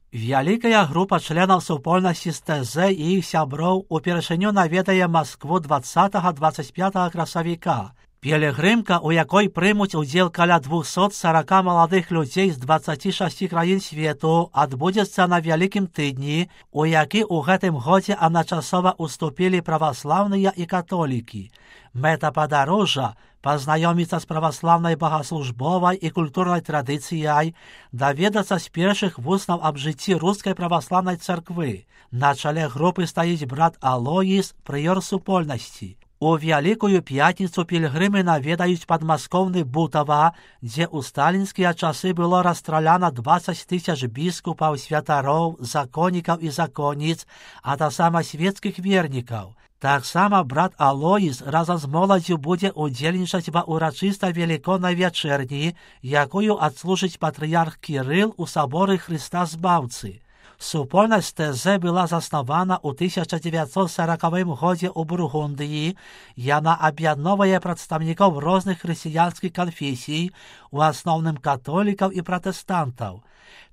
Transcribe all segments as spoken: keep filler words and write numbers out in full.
Вялікая група членаў супольнасці з тэ зэ і іх сяброў упершыню наведае Маскву дваццатага — дваццаць пятага красавіка. Пілігрымка, у якой прымуць удзел каля двухсот сорока маладых людзей з дваццаці шасці краін свету, адбудзецца на вялікім тыдні, у які ў гэтым годзе адначасова уступілі праваслаўныя і католікі. Мэта падарожжа — пазнаёміцца з праваслаўнай богаслужбовай і культурнай традыцыяй, даведацца з першых вуснаў аб жыцці рускай праваслаўнай царквы. На чале групы стаіць брат Алоіс, прыёр супольнасці. У Вялікую пятніцу пілігрымы наведаюць падмаскоўны Бутава, дзе ў сталінскія часы было расстраляна дваццаць тысяч біскупаў, святароў, законнікаў і законніц, а таксама свецкіх вернікаў. Таксама брат Алоіс разам з моладзю будзе ўдзельнічаць ва ўрачыстай велікоднай вячэрні, якую адслужыць патрыярх Кірыл у саборы Хрыста Збаўцы. Супольнасць тэ зэ была заснавана ў тысяча дзевяцьсот сорокавым годзе ў Бургундыі. Яна аб'ядноўвае прадстаўнікоў розных хрысціянскіх канфесій, у асноўным католікаў і пратэстантаў.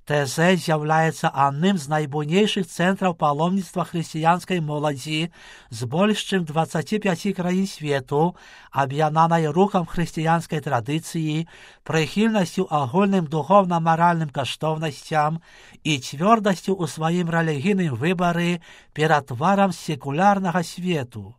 тэ зэ з'яўляецца адным з найбуйнейшых цэнтраў паломніцтва хрысціянскай моладзі з больш чым дваццаці пяці краін свету, аб'яднанай рухам хрысціянскай традыцыі, прыхільнасцю агульным духоўна-маральным каштоўнасцям і цвёрдасцю ў сваім рэлігійным выбары перад тварам секулярнага свету.